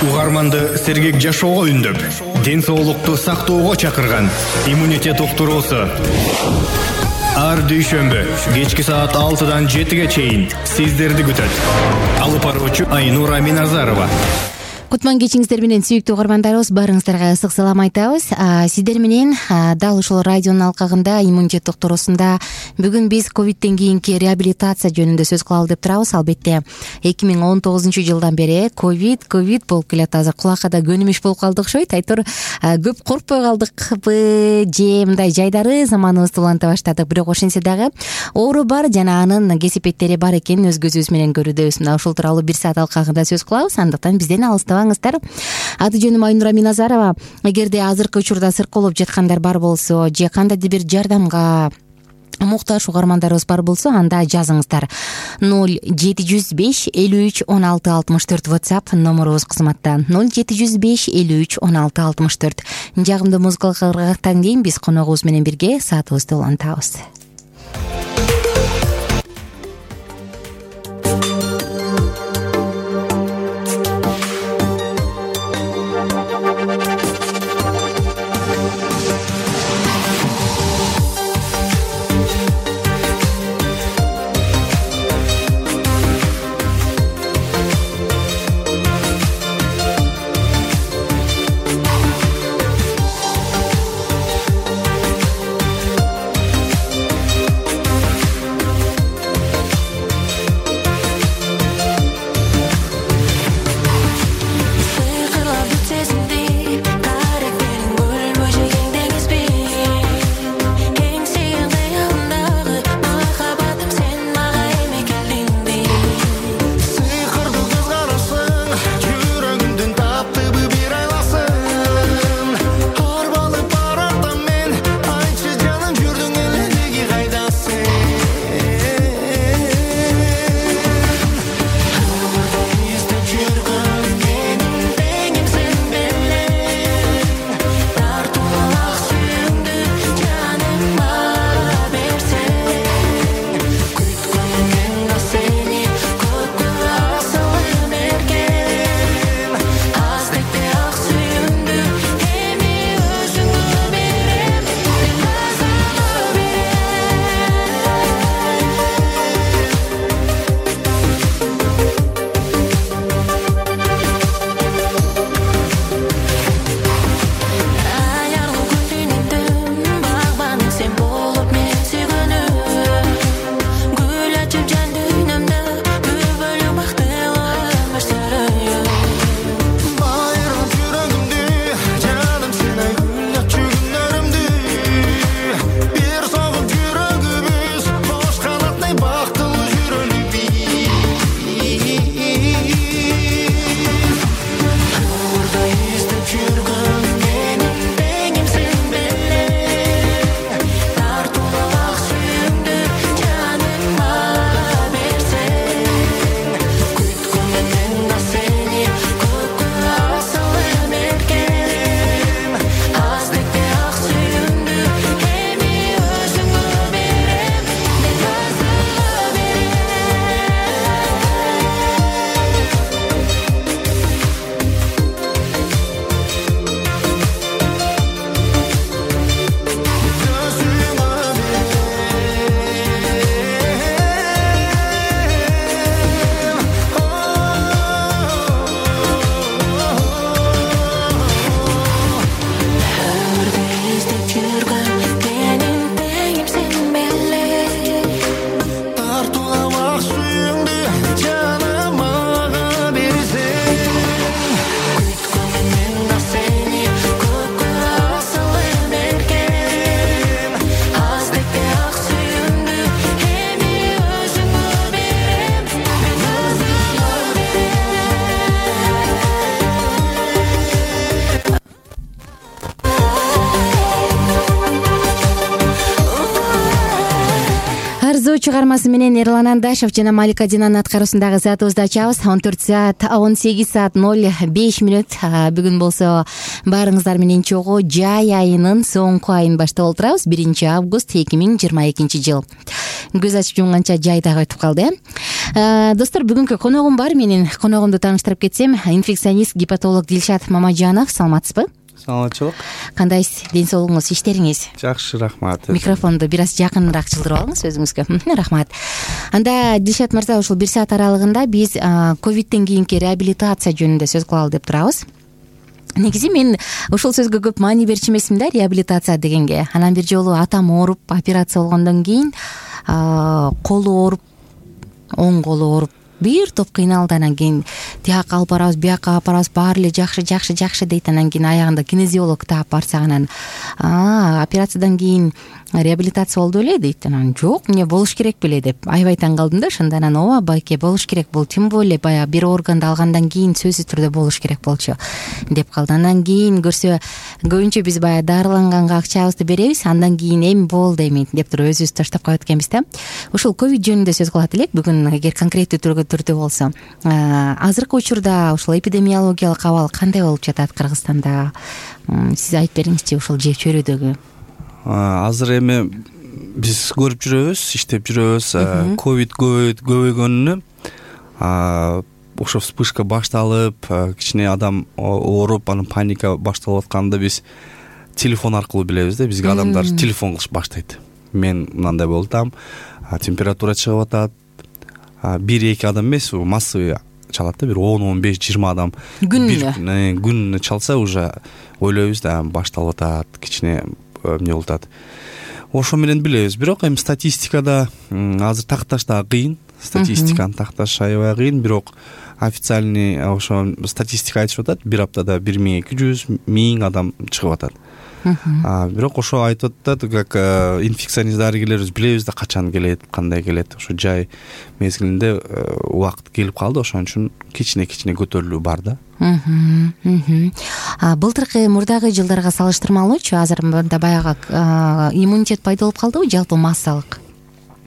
Угарманды сергек жашоого үндөп, ден соолукту сактоого чакырган иммунитет уктуруусу. Ар дүйшөмбү кечки саат 6-дан 7-ге чейин сиздерди күтөт. Алып баруучу Айнура Миназарова. Кутман кечиңиздер менен сүйүктүү угармандарыбыз, баарыңыздарга ысык салам айтабыз. Сиздер менен дал ушул радионун алкагында иммунитет доктурусунда бүгүн биз ковидтен кийинки реабилитация жөнүндө сөз кылалы деп турабыз. Албетте 2019-жылдан бери ковид болуп келет. Азыр кулакка да көнүмүш болуп калды окшойт. Айтор көп коркпой калдыкпы же мындай жайдары заманыбызды уланта баштадык. Бирок ошентсе дагы оору бар жана анын кесипеттери бар экенин өз көзүбүз менен көрүүдөбүз. Мына ушул тууралуу бир саат алкагында сөз кылабыз. Андыктан бизден алыстабаңыздар. Аты жөнүм Айнура Миназарова. Эгерде азыркы учурда сыркоолоп жаткандар бар болсо же кандайдыр бир жардамга муктаж угармандарыбыз бар болсо, анда жазыңыздар. 0705 53 16 64 WhatsApp номерубуз кызматта. 0705 53 16 64. Жагымдуу музыкалык ыргактан кийин биз коногубуз менен бирге саатыбызды улантабыз. Чыгармасы менен Эрлан Андашев жана Малика Динанын аткаруусундагы саатыбызды ачабыз. 14 саат 18 саат 05 мүнөт. Бүгүн болсо баарыңыздар менен чогуу жай айынын соңку айын баштап олтурабыз. 1 август 2022 жыл. Көз ачып жумганча жай дагы өтүп калды. Достор, бүгүнкү коногум бар. Менин коногумду тааныштырып кетсем, инфекционист гепатолог Дилшат Мамажанов. Саламатсызбы? Саламатчылык. Кандайсыз? Ден соолугуңуз, иштериңиз? Жакшы, рахмат. Микрофонду бир аз жакыныраак жылдырып алыңыз өзүңүзгө. Рахмат. Анда Дилшат мырза, ушул 1 саат аралыгында биз ковидтен кийинки реабилитация жөнүндө сөз кылалы деп турабыз. Негизи мен ушул сөзгө көп маани берчү эмесмин да, реабилитация дегенге. Анан бир жолу атам ооруп, операция болгондон кийин колу ооруп, оң колу ооруп, бир топ кыйналды. Анан кийин тияка алып барабыз, бияка алып барабыз, баары эле жакшы дейт. Анан кийин аягында кинезиолог таап барсак, анан операциядан кийин реабилитация болду беле дейт. Анан жок, эмне болуш керек беле деп аябай таң калдым да. Ошондо анан ооба байке болуш керек, бул тем более баягы бир органды алгандан кийин сөзсүз түрдө болуш керек болчу деп калды. Андан кийин көрсө көбүнчө биз баягы дарыланганга акчабызды беребиз, андан кийин эми болду эми деп туруп өзүбүз таштап коет экенбиз да. Ушул ковид жөнүндө сөз кылат элек бүгүн, эгер конкреттүү түрдө болсо. Азыркы учурда ушул эпидемиологиялык абал кандай болуп жатат Кыргызстанда? Сиз айтып бериңизчи, ушул чөйрөдөгү. Азыр эми биз көрүп жүрөбүз, иштеп жүрөбүз. Ковид көбөйгөнүнө ошо вспышка башталып, кичине адам ооруп, анан паника башталып атканда биз телефон аркылуу билебиз да. Бизге адамдар телефон кылыш баштайт. Мен мындай болдум, температура чыгып атат. 1-2 адам эмес, массовый чалат да, бир 10-15-20 адам күнүнө чалса, уже ойлойбуз да, башталып атат, кичине эмне болуп атат. Ошо менен билебиз. Бирок эми статистикада азыр такташ да кыйын. Статистиканы такташ аябай кыйын, бирок официальный ошо статистика айтып атат, бир аптада 1200-1000 адам чыгып атат. Бирок ошо айтып атат, как инфекционист дарыгерлерибиз билебиз да, качан келет, кандай келет. Ошо жай мезгилинде убакыт келип калды, ошон үчүн кичине көтөрүлүү бар да. Былтыркы мурдагы жылдарга салыштырмалуучу азыр мында баягы иммунитет пайда болуп калдыбы, жалпы массалык?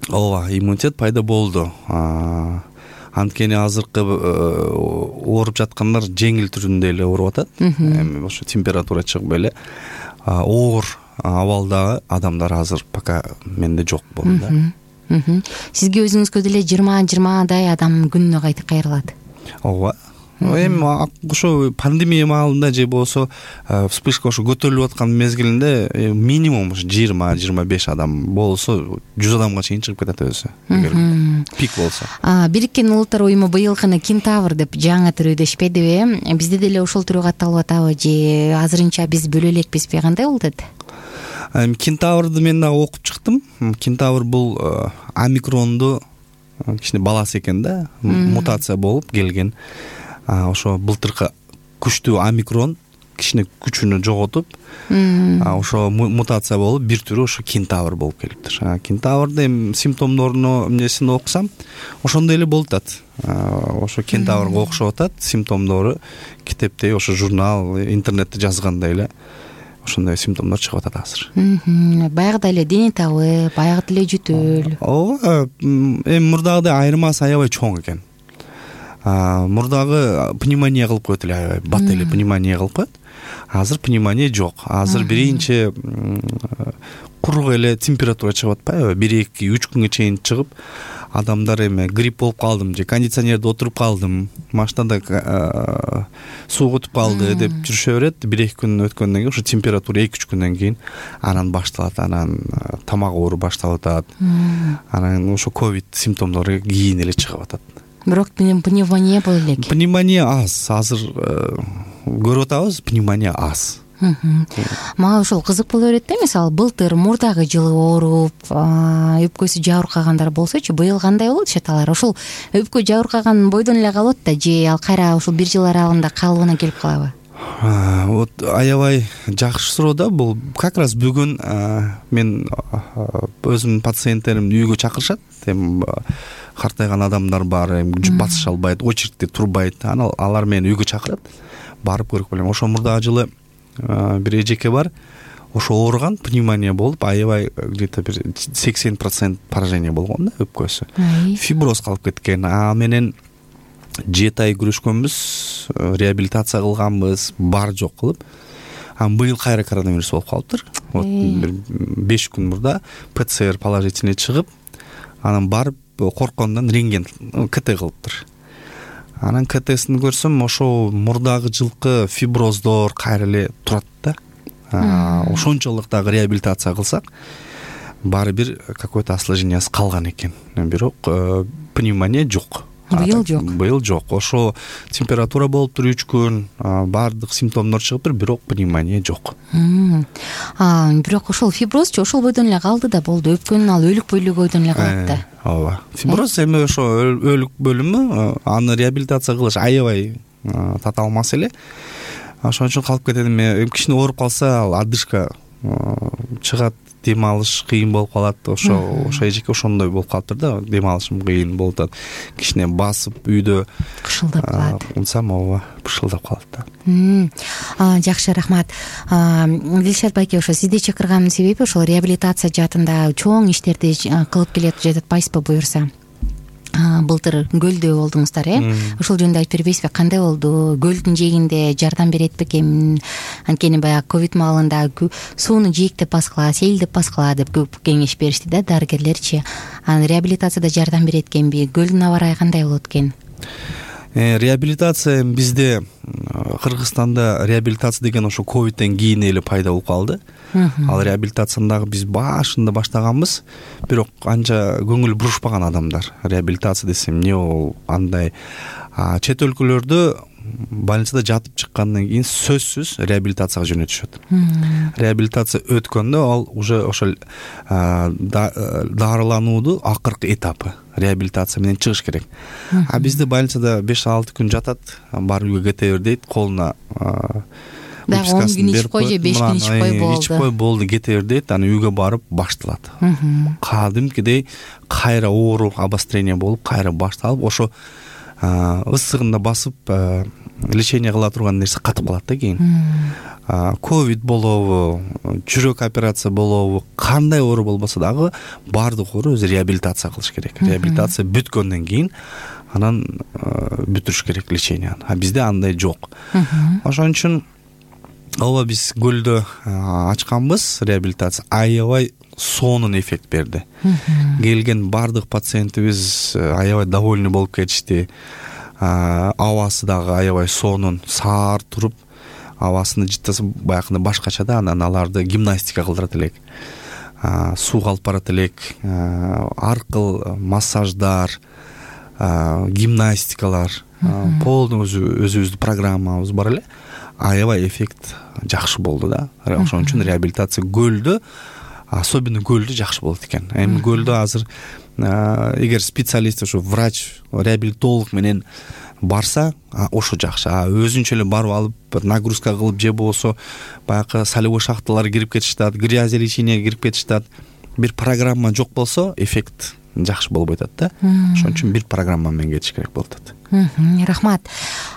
Ооба, иммунитет пайда болду. Анткени азыркы ооруп жаткандар жеңил түрүндө эле ооруп атат. Эми ошо температура чыгып эле оор абалдагы адамдар азыр пока менде жок болду да. Сизге өзүңүзгө деле 20-20дай адам күнүнө кайрылат. Ооба. Эми ошо пандемия маалында же болсо вспышка ошо көтөрүлүп аткан мезгилинде минимум 20-25 адам болсо 100 адамга чейин чыгып кетет өзү, эгер пик болсо. Бириккен Улуттар уюму быйылкыны Кентавр деп жаңы түрүдөшпедиби? Бизде деле ошол түргө катталып атабы же азырынча биз бөлө элекпизби? Кандай болуп атат? Кентаврды мен да окуп чыктым. Кентавр бул омикронду кичине баласы экен да, мутация болуп келген. Ошо былтыркы күчтүү омикрон кичине күчүнү жоготуп, ошо мутация болуп бир түрү ошо кентавр болуп келиптир. Кентаврдын эми симптомдорунун эмнесин окусам, ошондой эле болуп атат. Ошо кентаврга окшоп атат симптомдору. Китепте ошо журнал, интернетте жазгандай эле ошондой симптомдор чыгып атат азыр. Баягыда эле дене табы, баягыда эле жөтөл. Ооба, эми мурдагыдай айырмасы аябай чоң экен. Мурдагы пневмония кылып коет эле, аябай бат эле пневмония кылып коет. Азыр пневмония жок. Азыр биринчи курук эле температура чыгып атпайбы? 1-2-3 күнгө чейин чыгып, адамдар эми грипп болуп калдым же кондиционерде отуруп калдым, машинада суу кутуп калды деп жүрүшө берет. 1-2 күн өткөндөн кийин ошо температура 2-3 күндөн кийин анан башталат, анан тамак оору башталып атат. Анан ошо ковид симптомдору кийин эле чыгып атат. Бирок пневмония боло элек. Пневмония аз. Азыр көрүп атабыз, пневмония аз. Мага ушул кызык боло берет да, мисалы былтыр мурдагы жылы ооруп, өпкөсү жабыркагандар болсочу, быйыл кандай болот шаталар? Ушул өпкө жабыркаган бойдон эле калат да, же ал кайра ушул бир жыл аралыгында калыбына келип калабы? Вот аябай жакшы суроо да. Бул как раз бүгүн мен өзүмдүн пациенттеримди үйгө чакырышат. Эми картайган адамдар бар, басыша албайт, очередьте турбайт. Анан алар мени үйгө чакырат. Барып көрүп келем. Ошо мурдагы жылы бир эжеке бар. Ошо ооруган, пневмония болуп, аябай где-то бир 80% поражение болгон да өпкөсү. Фиброз калып кеткен. Менен 7 ай күрөшкөнбүз, реабилитация кылганбыз, бар жок кылып. Быйыл кайра коронавирус болуп калыптыр. Вот 5 күн мурда ПЦР положительный чыгып, анан барып корккондон рентген КТ кылыптыр. Анан КТсин көрсөм ошо мурдагы жылкы фиброздор кайра эле турат да. Ошончолук дагы реабилитация кылсак баары бир какой-то осложнениясы калган экен. Бирок пневмония жок. Быйыл жок. Ошо температура болуптур 3 күн, баардык симптомдор чыгыптыр, бирок пневмония жок. Бирок ошол фиброзчу ошол бойдон эле калды да болду. Өпкөнүн ал өлүк бөлүгөйдөн эле калат да. Ооба. Фиброз эми ошо өлүк бөлүмү, аны реабилитация кылыш аябай татаал маселе. Ошон үчүн калып кетет. Эми кичине ооруп калса, ал одышка чыгат, дем алыш кыйын болуп калат. Ошо эжеке ошондой болуп калыптыр да, дем алышым кыйын болуп атат. Кичине басып үйдө кышылдап калат. Унсам ооба, бышылдап калат да. Жакшы, рахмат. Дилшат байке, ошо сизди чакырганымдын себеби ошол реабилитация жаатында чоң иштерди кылып келе жатпайсызбы буюрса? Былтыр көлдө болдуңуздар, ошол жөнүндө айтып бербейсизби? Кандай болду? Көлдүн жээгинде жардам берет бекен? Анткени баягы ковид маалында сууну жээктеп баскыла, сейилдеп баскыла деп көп кеңеш беришти да дарыгерлерчи. Реабилитацияда жардам берет экенби? Көлдүн аба ырайы кандай болот экен? Реабилитация бизде Кыргызстанда реабилитация деген ошо ковидтен кийин эле пайда болуп калды. Ал реабилитацияны дагы биз башында баштаганбыз, бирок анча көңүл бурушпаган адамдар. Реабилитация десем эмне ол, андай. Чет өлкөлөрдө больницада жатып чыккандан кийин сөзсүз реабилитацияга жөнөтүшөт. Реабилитация өткөндө ал уже ошол дарылануудун акыркы этапы. Реабилитация менен чыгыш керек. Бизде больницада 5-6 күн жатат, барып үйгө кете бер дейт, колуна дагы 10 күн ичип кой же 5 күн ичип кой болду. Ичип кой болду, кете бер дейт, аны үйгө барып башталат. Кадимкидей кайра оору, обострение болуп, кайра башталып, ошо ысыгында басып лечение кыла турган нерсе катып калат да кийин. Ковид болобу, жүрөк операция болобу, кандай оору болбосо дагы баардык оору өзү реабилитация кылыш керек. Реабилитация бүткөндөн кийин анан бүтүрүш керек леченияны. Бизде андай жок. Ошон үчүн ооба биз көлдө ачканбыз реабилитация, аябай сонун эффект берди. Келген баардык пациентибиз аябай довольный болуп кетишти. Абасы дагы аябай сонун, саар туруп, абасыны жыттаса баягындай башкача да, анан аларды гимнастика кылдырат элек. Сууга алып барат элек, ар кыл массаждар, гимнастикалар, полный өзүбүздүн программабыз бар эле. Аябай эффект жакшы болду да. Ошон үчүн реабилитация көлдө, особенно көлдө жакшы болот экен. Эми көлдө азыр эгер специалист, ошо врач, реабилитолог менен барса, ошо жакшы. Өзүнчө эле барып алып, бир нагрузка кылып же болсо баягы солевой шахталарга кирип кетишат, грязелечениеге кирип кетишат. Бир программа жок болсо, эффект жакшы болбой атат да. Ошон үчүн бир программа менен кетиш керек болуп атат. Рахмат.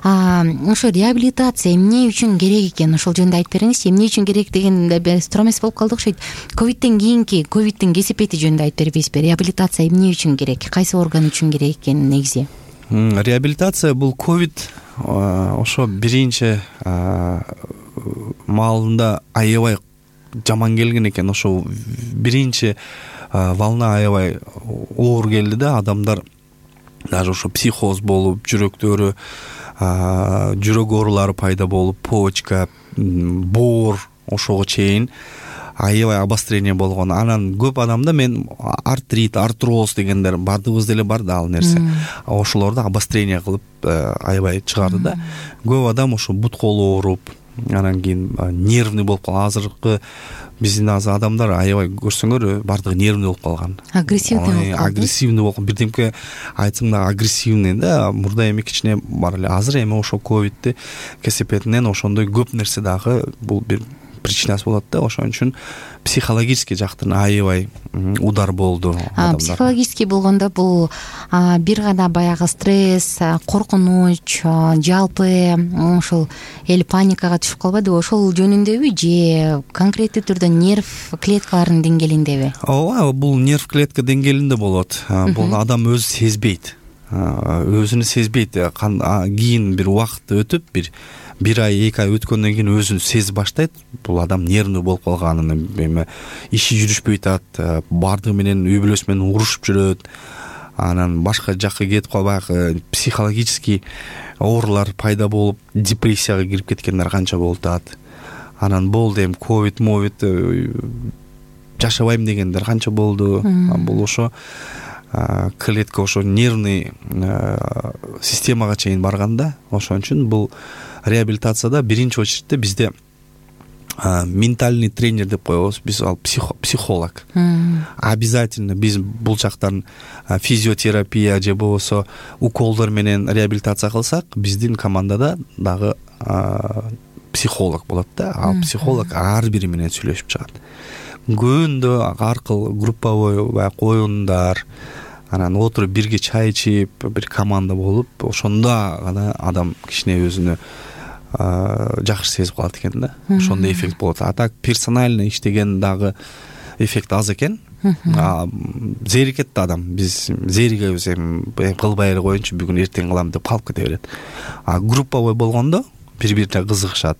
Ошо реабилитация эмне үчүн керек экен? Ошол жөнүндө айтып бериңизчи. Эмне үчүн керек дегенде стромес болуп калды окшойт. Ковидтен кийинки ковидтин кесепети жөнүндө айтып бербейсизби? Реабилитация эмне үчүн керек? Кайсы орган үчүн керек экен негизи? Реабилитация бул ковид ошо биринчи маалында аябай жаман келген экен. Ошо биринчи волна аябай оор келди да, адамдар даже ошо психоз болуп, жүрөктөрү, жүрөк оорулары пайда болуп, почка, боор, ошого чейин аябай обострение болгон. Анан көп адамда мен артрит, артроз дегендер бардыгыбызда эле бар да ал нерсе. Ошолорду обострение кылып аябай чыгарды да. Көп адам ошо бут колу ооруп, анан кийин нервный болуп калган. Азыркы биздин адамдар аябай көрсөңөр бардыгы нервный болуп калган. Агрессивный болуп, бирдемке айтсаң да агрессивный да. Мурда эми кичине бар эле. Азыр эми ошо ковидти кесепетинен ошондой көп нерсе дагы бул бир причинасы болот да. Ошон үчүн психологический жактан аябай удар болду адамдар. Психологический болгондо бул бир гана баягы стресс, коркунуч, жалпы ошол эл паникага түшүп калбайдыбы? Ошол жөнүндөбү же конкреттүү түрдө нерв клеткаларынын деңгээлиндеби? Ооба, бул нерв клетка деңгээлинде болот. Бул адам өзү сезбейт. Өзүнү сезбейт. Кийин бир убакыт өтүп, бир ай, 2 ай өткөндөн кийин өзүн сезип баштайт. Бул адам нервный болуп калганын, эми иши жүрүшпөй атат, бардыгы менен үй бүлөсү менен урушуп жүрөт. анан башка жакка кетип калып баягы психологический оорулар пайда болуп депрессияга кирип кеткендер канча болуп атат. Анан болду эми ковид жашабайм дегендер канча болду. Бул ошо клетка ошо нервный системага чейин барганда, ошон үчүн бул реабилитацияда биринчи очередте бизде ментальный тренер деп коебуз, биз ал психолог. Обязательно биз бул жактан физиотерапия же болбосо уколдор менен реабилитация кылсак, биздин командада дагы психолог болот да. Ал психолог ар бири менен сүйлөшүп чыгат. Күндө аркылуу групповой баягы оюндар, анан отуруп бирге чай ичип, бир команда болуп, ошондо гана адам кичине өзүнө жакшы сезип калат экен да. Ошондой эффект болот. А так персонально иштеген дагы эффект аз экен. Зерикет да адам. Биз зеригебиз, эми кылбай эле коеюнчу, бүгүн эртең кылам деп калып кете берет. А групповой болгондо бири-бирине кызыгышат.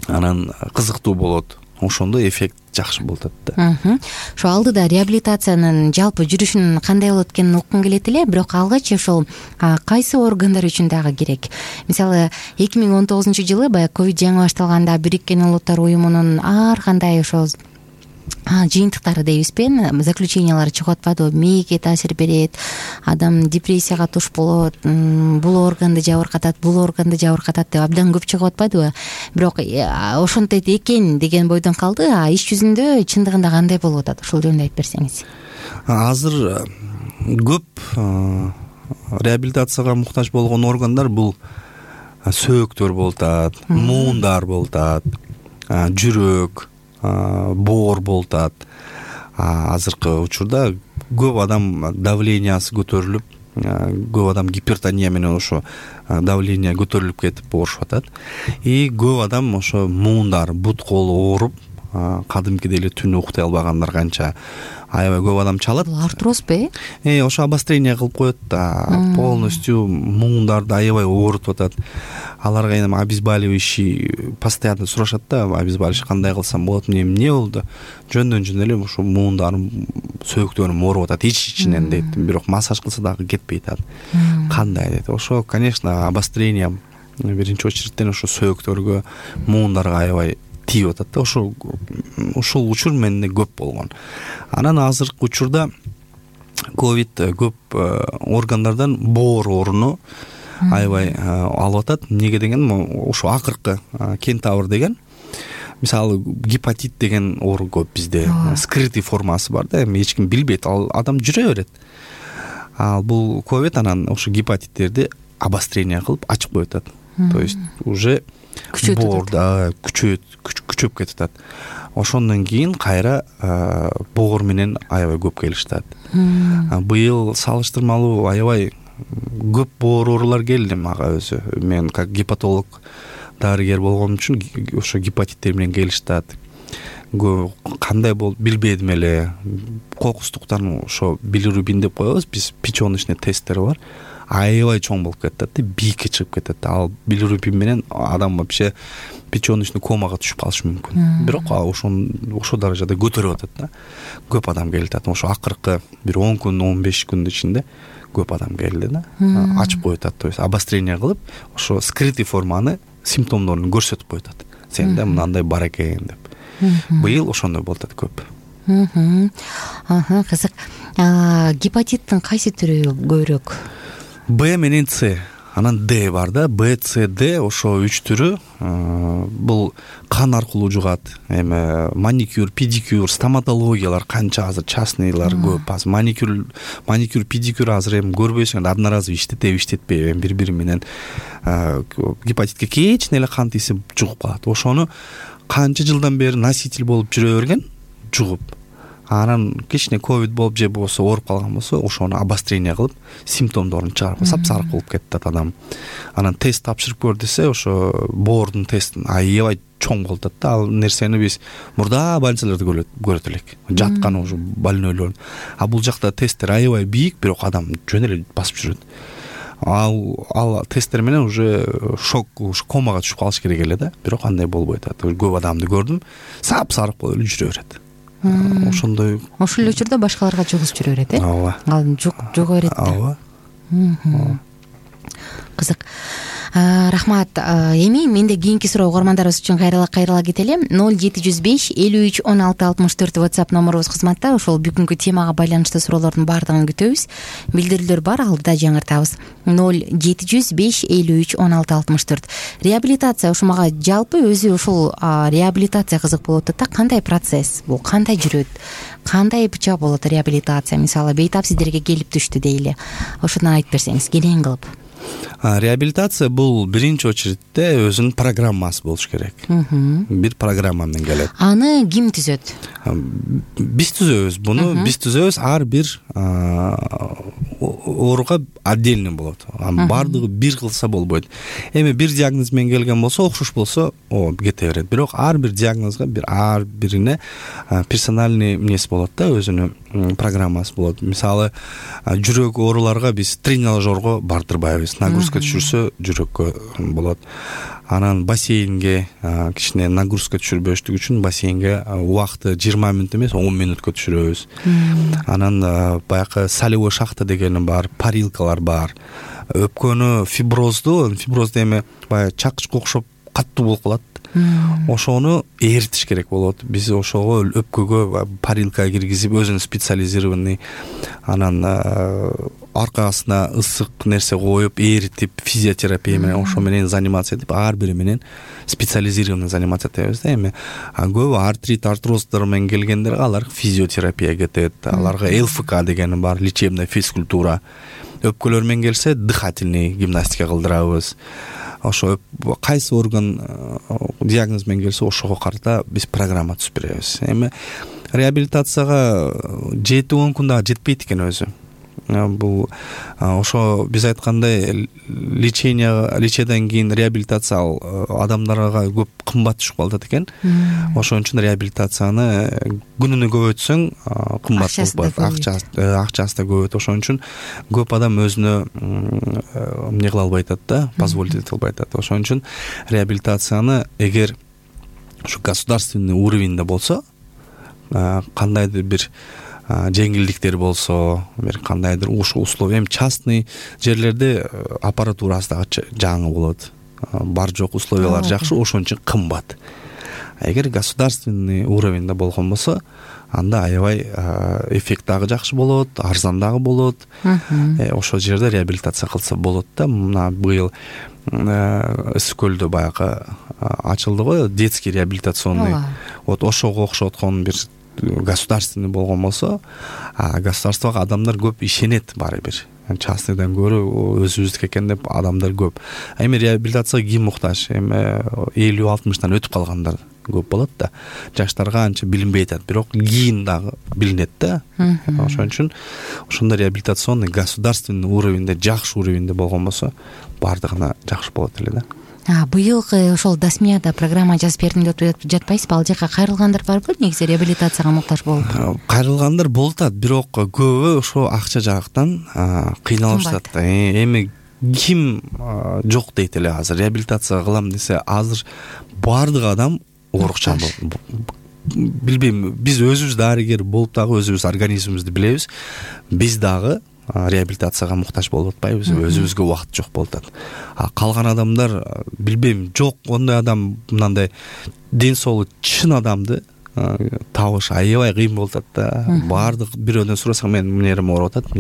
Анан кызыктуу болот. Ошондо эффект жакшы болуп атат да. Ошо алдыда реабилитациянын жалпы жүрүшүн кандай болот экенин уккум келет эле, бирок алгач ошол кайсы органдар үчүн дагы керек? Мисалы 2019-жылы баягы ковид жаңы башталганда Бириккен Улуттар уюмунун ар кандай ошо жыйынтыктары дейбизби, заключениялары чыгып атпадыбы? Мээге таасир берет, адам депрессияга туш болот, бул органды жабыркатат, бул органды жабыркатат деп абдан көп чыгып атпадыбы? Бирок ошентет экен деген бойдон калды. А иш жүзүндө чындыгында кандай болуп атат? Ошол жөнүндө айтып берсеңиз. Азыр көп реабилитацияга муктаж болгон органдар бул сөөктөр болуп атат, муундар болуп атат, жүрөк, боор болуп атат. Азыркы учурда көп адам давлениясы көтөрүлүп, көп адам гипертония менен ошо давление көтөрүлүп кетип оорушуп атат. И көп адам ошо муундар, бут колу ооруп, кадимкидей эле түнү уктай албагандар канча. Аябай көп адам чалат. Бул артрозбу? Ошо обострение кылып коет да. Полностью муундарды аябай оорутуп атат. Аларга эми обезболивающий постоянно сурашат да, обезболивающий кандай кылсам болот, эмне болду? Жөндөн эле ошо муундарым, сөөктөрүм ооруп атат ичинен дейт. Бирок массаж кылса дагы кетпей атат. Кандай дейт? Ошо, конечно, обострение биринчи очередтен ошо сөөктөргө, муундарга аябай тийип атат да. Ушул учур менде көп болгон. Анан азыркы учурда ковид көп органдардан боор ооруну аябай алып атат. Неге деген, ошо акыркы кентавр деген, мисалы гепатит деген оору көп бизде. Скрытый формасы бар да, эми эч ким билбейт, ал адам жүрө берет. Ал бул ковид анан ошо гепатиттерди обострение кылып ачып коюп атат. То есть уже боорда күчөп кетип атат. Ошондон кийин кайра боор менен аябай көп келишти. Быйыл салыштырмалуу аябай көп боор оорулар келди мага өзү. Мен как гепатолог дарыгер болгон үчүн ошо гепатиттер менен келишти. Кандай болуп билбедим эле. Кокустуктан ошо билирубин деп коебуз биз, печёночный тесттер бар. Аябай чоң болуп кетет да, бийикке чыгып кетет. Ал билирубин менен адам вообще печёночный комага түшүп калышы мүмкүн. Бирок ошо даражада көтөрүп атат да. Көп адам келип атат. Ошо акыркы бир 10 күн, 15 күндүн ичинде көп адам келди да. Ачып коюп атат, то есть обострение кылып, ошо скрытый форманы, симптомдорун көрсөтүп коюп атат. Сенде мындай бар экен деп. Быйыл ошондой болуп атат көп. Кызык. Гепатиттин кайсы түрү көбүрөөк? Б менен С, анан Д бар да. Б, С, Д ошо 3 түрү. Бул кан аркылуу жугат. Эми маникюр, педикюр, стоматологиялар канча азыр частныйлар көп. Азыр маникюр, педикюр азыр эми көрбөйсүң, одноразовый иштетпей бири-бири менен гепатитке кечине эле кан тийсе жугуп калат. Ошону канча жылдан бери носитель болуп жүрө берген, жугуп. Анан кичине ковид болуп же болсо ооруп калган болсо, ошону обострение кылып, симптомдорун чыгарып, сап-сарык болуп кетет адам. Анан тест тапшырып көр десе, ошо боордун тестин аябай чоң болуп атат да. Ал нерсени биз мурда больницаларда көрөт элек. Жаткан уже больнойлор. А бул жакта тесттер аябай бийик, бирок адам жөн эле басып жүрөт. Ал тесттер менен уже шок, комага түшүп калыш керек эле да. Бирок андай болбойт атат. Көп адамды көрдүм, сап-сарык болуп эле жүрө берет. ошондой. Ошол эле учурда башкаларга жугузуп жүрө берет, ооба. Ал жуга берет да. Ооба. Кызык. Рахмат. Эми менде кийинки суроо угармандарыбыз үчүн кайрыла кетели. 0705 53 16 64 WhatsApp номерубуз кызматта. Ошол бүгүнкү темага байланыштуу суроолордун баардыгын күтөбүз. Билдирүүлөр бар, алдыда жаңыртабыз. 0705 53 16 64. Реабилитация ушумага жалпы өзү ушул реабилитация кызык болуп атат да. Кандай процесс бул? Кандай жүрөт? Кандай быча болот реабилитация? Мисалы, бейтап сиздерге келип түштү дейли. Ошону айтып берсеңиз, кенен кылып. Реабилитация бул биринчи очередте өзүнүн программасы болуш керек. Бир программа менен келет. Аны ким түзөт? Биз түзөбүз буну. Биз түзөбүз. Ар бир ооруга отдельно болот. Баардыгы бир кылса болбойт. Эми бир диагноз менен келген болсо, окшош болсо, кете берет. Бирок ар бир диагнозго ар бирине персональный эмнеси болот да, өзүнүн программасы болот. Мисалы, жүрөк ооруларга биз тренажерго бардырбайбыз. Нагрузка түшүрсө жүрөккө болот. Анан бассейнге кичине нагрузка түшүрбөштүк үчүн бассейнге убакытты 20 мүнөт эмес 10 мүнөткө түшүрөбүз. Анан баягы солевой шахта дегени бар, парилкалар бар. Өпкөнү фиброзду эми баягы чакычка окшоп каттуу болуп калат. Ошону эритиш керек болот. Биз ошого өпкөгө парилка киргизип, өзүнүн специализированный, анан аркасына ысык нерсе коюп, эритип, физиотерапия менен ошо менен занимация этип, ар бири менен специализированный занимация этебиз да. Эми көбү артрит, артроздор менен келгендерге алар физиотерапия кетет. Аларга ЛФК дегени бар, лечебная физкультура. Өпкөлөр менен келсе, дыхательный гимнастика кылдырабыз. Ошо кайсы орган диагноз менен келсе, ошого карата биз программа түзүп беребиз. Эми реабилитацияга 7-10 күндө жетпейт экен өзү. Бул ошо биз айткандай леченияден кийин реабилитация адамдарга көп кымбат түшүп калат экен. Ошон үчүн реабилитацияны күнүнө көбөйтсөң кымбат болуп, акчасы да көбөйт. Ошон үчүн көп адам өзүнө эмне кыла албай атат да, позволить эте албай атат. Ошон үчүн реабилитацияны эгер ушу государственный уровеньде болсо, кандайдыр бир жеңилдиктер болсо, бир кандайдыр ушул условия, эми частный жерлерде аппаратурасы дагы жаңы болот. Бар жок условиялар жакшы, ошон үчүн кымбат. Эгер государственный уровеньде болгон болсо, анда аябай эффект дагы жакшы болот, арзан дагы болот. Ошол жерде реабилитация кылса болот да. Мына быйыл Ысык көлдө баягы ачылды го детский реабилитационный. Вот ошого окшоткон бир государственный болгон болсо, государствого адамдар көп ишенет баары бир. Частныйдан көрө өзүбүздүк экен деп адамдар көп. Эми реабилитацияга ким муктаж? Эми 50-60-тан өтүп калгандар көп болот да. Жаштарга анча билинбей атат, бирок кийин дагы билинет да. Ошон үчүн ошондой реабилитационный государственный уровеньде, жакшы уровеньде болгон болсо, баардыгына жакшы болот эле да. Быйылкы ошол Дасмияда программа жазып бердим деп жатпайсызбы? Ал жака кайрылгандар барбы? Негизи реабилитацияга муктаж болуп? Кайрылгандар болуп атат, бирок көбү ошо акча жактан кыйналып атат. Эми ким жок дейт эле азыр реабилитация кылам десе, азыр баардык адам оорукчан болот. Билбейм, биз өзүбүз дарыгер болуп дагы өзүбүз организмибизди билебиз. Биз дагы реабилитацияга муктаж болуп атпайбыз, өзүбүзгө убакыт жок болуп атат. Калган адамдар билбейм, жок ондой адам, мындай ден соолугу чын адамды табыш аябай кыйын болуп атат да. Баардык бирөөдөн сурасаң, мен мынерим ооруп атат,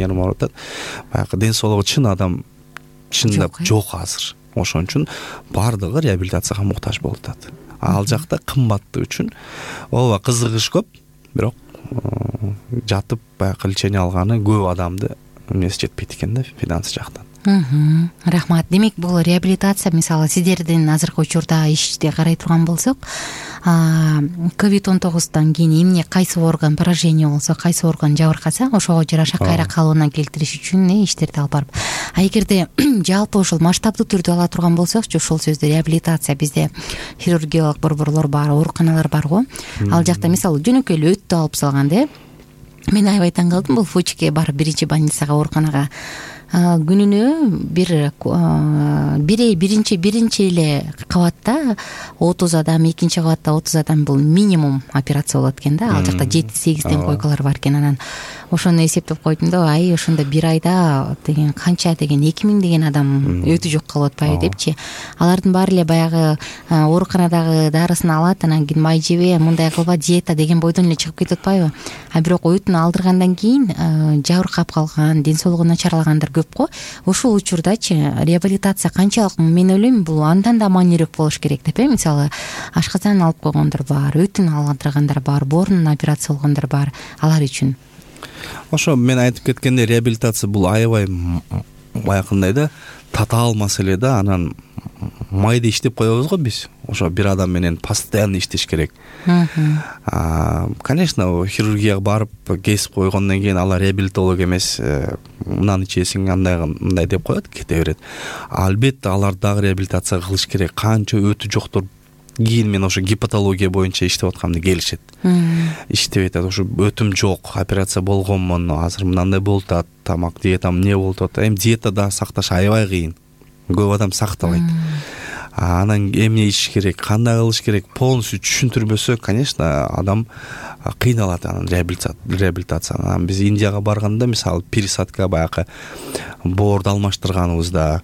баягы ден соолугу чын адам чындап жок азыр. Ошон үчүн баардыгы реабилитацияга муктаж болуп атат. Ал жакта кымбаттыгы үчүн ооба кызыгыш көп, бирок жатып баягы лечение алганы көп адамды эмнеси жетпейт экен да, финансы жактан. Рахмат. Демек, бул реабилитация, мисалы, сиздердин азыркы учурда ишти карай турган болсок, COVID-19 кийин эмне, кайсы орган поражение болсо, кайсы орган жабыркаса, ошого жараша кайра калыбына келтириш үчүн иштерди алып барып. Эгерде жалпы ошол масштабдуу түрдө ала турган болсокчу, ошол сөздө реабилитация, бизде хирургиялык борборлор бар, ооруканалар бар го. Ал жакта мисалы жөнөкөй эле өттү алып салганда, мен аябай таң калдым, бул Фучке барып биринчи больницага, ооруканага күнүнө биринчи эле кабатта 30 адам, экинчи кабатта 30 адам, бул минимум операция болот экен да. Ал жакта 7-8 койкалар бар экен. Анан ошону эсептеп койдум да, ошондо бир айда деген канча деген 2000 деген адам өтү жок калып атпайбы депчи. Алардын баары эле баягы ооруканадагы дарысын алат, анан кийин май жебе, мындай кылба, диета деген бойдон эле чыгып кетип атпайбы. А бирок өтүн алдыргандан кийин жабыркап калган, ден соолугу начарлагандар көп го. Ушул учурдачы реабилитация канчалык, мен ойлойм, бул андан да маанилүүк болуш керек деп. Мисалы, ашказан алып койгондар бар, өтүн алдыргандар бар, боорунун операция болгондар бар. Алар үчүн ошо мен айтып кеткендей, реабилитация бул аябай баягындай да татаал маселе да. Анан майда иштеп коебуз го биз. Ошо бир адам менен постоянно иштеш керек. Конечно, хирургияга барып кесип койгондон кийин алар реабилитолог эмес, мынаны ичесиң, мындай деп коет, кете берет. Албетте алар дагы реабилитация кылыш керек. Канча өтү жоктор кийин мен ошо гепатология боюнча иштеп атканымда келишет. Иштеп айтат, ошо өтүм жок, операция болгонмун, азыр мындай болуп атат, тамак диетам эмне болуп атат. Эми диета да сакташ аябай кыйын. Көп адам сактабайт. Анан эмне ичиш керек, кандай кылыш керек, полностью түшүндүрбөсө, конечно, адам кыйналат анан реабилитацияны. Анан биз Индияга барганда, мисалы, пересадка баягы боорду алмаштырганыбызда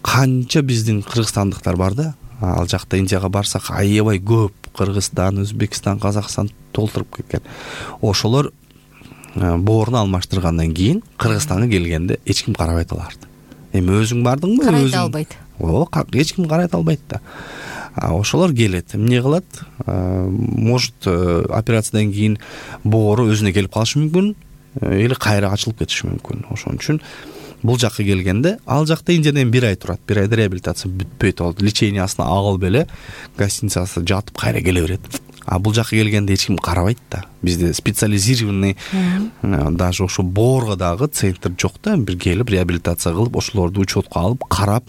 канча биздин кыргызстандыктар бар да. Ал жакта Индияга барсак аябай көп, Кыргызстан, Өзбекстан, Казакстан толтуруп кеткен. Ошолор боорун алмаштыргандан кийин Кыргызстанга келгенде эч ким карабайт аларды. Эми өзүң бардыңбы? Карайта албайт. Эч ким карайта албайт да. Ошолор келет, эмне кылат? Может, операциядан кийин боору өзүнө келип калышы мүмкүн, или кайра ачылып кетиши мүмкүн. Ошон үчүн бул жакка келгенде, ал жакта Индиядан 1 ай турат. 1 айда реабилитация бүтпөйт, ал лечениясына агыл беле, гостиницасына жатып кайра келе берет. А бул жакка келгенде эч ким карабайт да. Бизде специализированный даже ошо боорго дагы центр жок да. Бир келип реабилитация кылып, ошолорду учетко алып, карап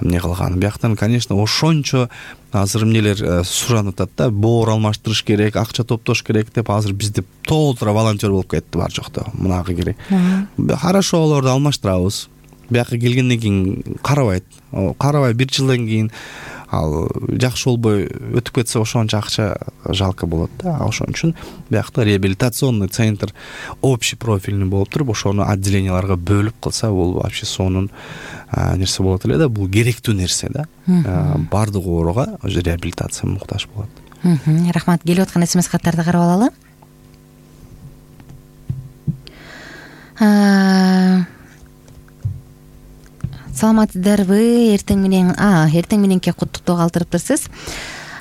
эмне кылган. Бияктан, конечно, ошончо азыр эмнелер суранып атат да, боор алмаштырыш керек, акча топтош керек деп. Азыр бизде толтура волонтер болуп кетти бар жокто. Мунага керек. Хорошо, олорду алмаштырабыз. Бияка келгенден кийин карабай 1 жылдан кийин ал жакшы болбой өтүп кетсе, ошончо акча жалко болот да. Ошон үчүн биякта реабилитационный центр общий профильный болуп туруп, ошону отделенияларга бөлүп кылса, бул вообще сонун нерсе болот эле да. Бул керектүү нерсе да. Бардык ооруга реабилитация муктаж болот. Рахмат. Келип аткан смс каттарды карап алалы. Саламатсыздарбы? Эртең мененки куттуктоо калтырыптырсыз.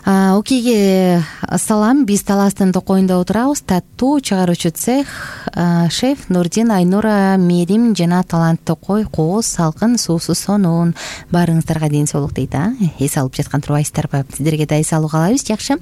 Окейге салам. Биз Таластын Токойунда отурабыз. Таттуу чыгаруучу цех, шеф Нурдин, Айнура, Мерим жана Талант Токой, кооз, салкын, суусу сонун. Баарыңыздарга ден соолук дейт. Эс алып жаткан турбайсыздарбы? Сиздерге да эс алуу каалайбыз. Жакшы.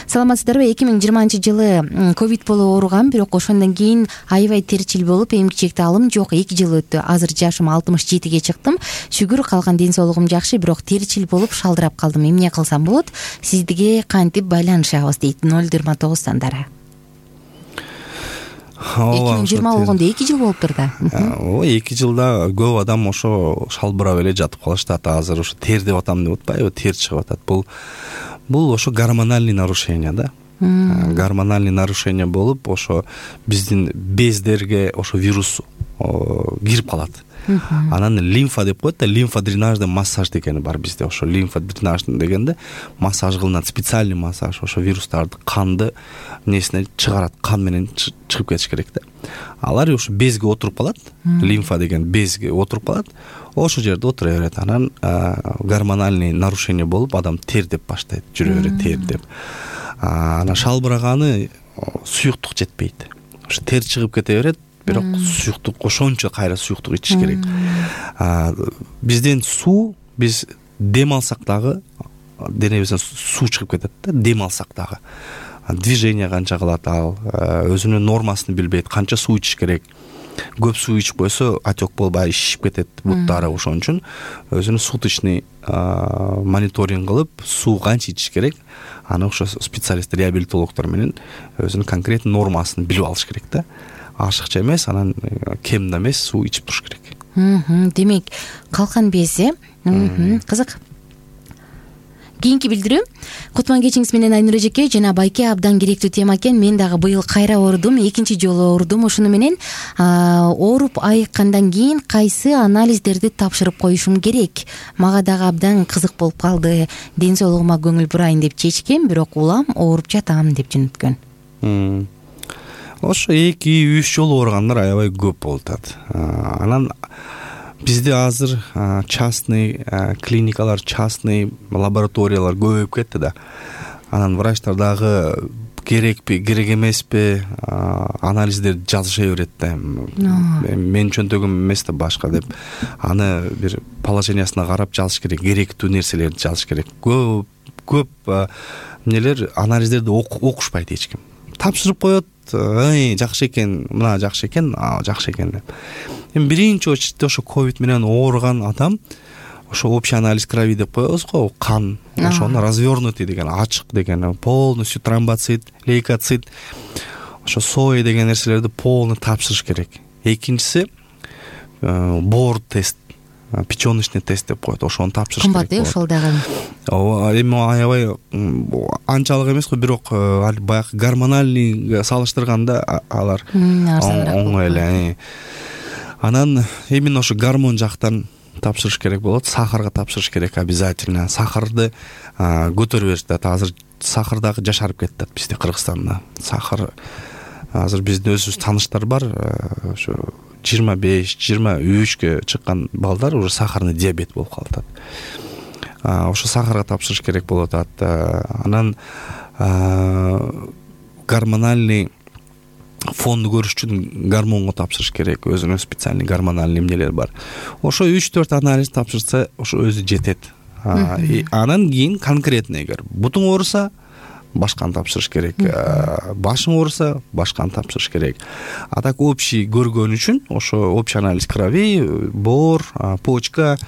Саламатсыздарбы? 2020-жылы ковид болуп ооругам, бирок ошондон кийин аябай терчил болуп, эмгичек таалым жок. 2 жыл өттү. Азыр жашым 67ге чыктым. Шүгүр, калган ден соолугум жакшы, бирок терчил болуп шалдырап калдым. Эмне кылсам болот? Сизге кантип байланышабыз дейт 029 сандары. 2020 болгондо 2 жыл болуптур да. 2 жылда көп адам ошо шалбырап эле жатып калышат. Азыр ошо тер деп атам деп атпайбы, тер чыгып атат. Бул ошо гормональный нарушение да. Гормональный нарушение болуп, ошо биздин бездерге ошо вирус кирип калат. Анан лимфа деп коет да, лимфодренажный массаж дегени бар бизде. Ошо лимфодренажный дегенде массаж кылынат, специальный массаж. Ошо вирустарды, канды несине чыгарат, кан менен чыгып кетиш керек да. Алар ошо безге отуруп калат, лимфа деген безге отуруп калат. Ошол жерде отура берет. Анан гормональный нарушение болуп, адам тер деп баштайт, жүрө берет тер деп. Анан шалбыраганы суюктук жетпейт. Ошо тер чыгып кете берет. Бирок суюктук, ошончо кайра суюктук ичиш керек. Бизден биз дем алсак дагы денебизден суу чыгып кетет да, дем алсак дагы. Движение канча кылат ал, өзүнүн нормасын билбейт, канча суу ичиш керек. Көп суу ичип койсо отек болбай шишип кетет буттары. Ошон үчүн өзүнүн суточный мониторинг кылып, суу канча ичиш керек, аны ошо специалист, реабилитологдор менен өзүнүн конкретный нормасын билип алыш керек да. Ашыкча эмес, анан кем да эмес суу ичип туруш керек. Демек калкан без кызык. Кийинки билдирүү. Кутман кечиңиз менен Айнур эжеке жана Байке абдан керектүү тема экен. Мен дагы быйыл кайра оорудум, экинчи жолу оорудум. Ошону менен ооруп айыккандан кийин кайсы анализдерди тапшырып коюшум керек? Мага дагы абдан кызык болуп калды. Ден соолугума көңүл бурайын деп чечкем, бирок улам ооруп жатам деп жөнөткөн. Ошо 2-3 жолу ооругандар аябай көп болуп атат. Анан бизде азыр частный клиникалар, частный лабораториялар көбөйүп кетти да. Анан врачтар дагы керекпи, керек эмеспи анализдерди жазыша берет да. Менин чөнтөгүм эмес да башка деп. Аны бир положениясына карап жазыш керек, керектүү нерселерди жазыш керек. Көп эмнелер анализдерди окушпайт эч ким. Тапшырып коет, жакшы экен, мына жакшы экен, жакшы экен деп. Эми биринчи очередде ошо ковид менен ооруган адам ошо общий анализ крови деп коебуз го, кан, ошону развернутый деген, ачык деген, полностью тромбоцит, лейкоцит, ошо сои деген нерселерди полный тапшырыш керек. Экинчиси бор тест, печёночный тест деп коет, ошону тапшырыш керек. Кымбат ошол дагы. Эми аябай анчалык эмес го, бирок баягы гормональный салыштырганда алар оңой эле. Анан именно ошо гормон жактан тапшырыш керек болот, сахарга тапшырыш керек обязательно. Сахарды көтөрүп беришет. Азыр сахар дагы жашарып кетти бизде Кыргызстанда. Сахар азыр биздин өзүбүз тааныштар бар, ошо 25-23гө чыккан балдар уже сахарный диабет болуп калат. Ошо сахарга тапшырыш керек болот. Анан гормональный фонду көрүш үчүн гормонго тапшырыш керек. Өзүнүн специальный гормональный эмнелер бар. Ошо 3-4 анализ тапшырса ошо өзү жетет. Анан кийин конкретный эгер бутуң ооруса башканы тапшырыш керек. Башың ооруса башканы тапшырыш керек. А так общий көргөн үчүн ошо общий анализ крови, бор, почка,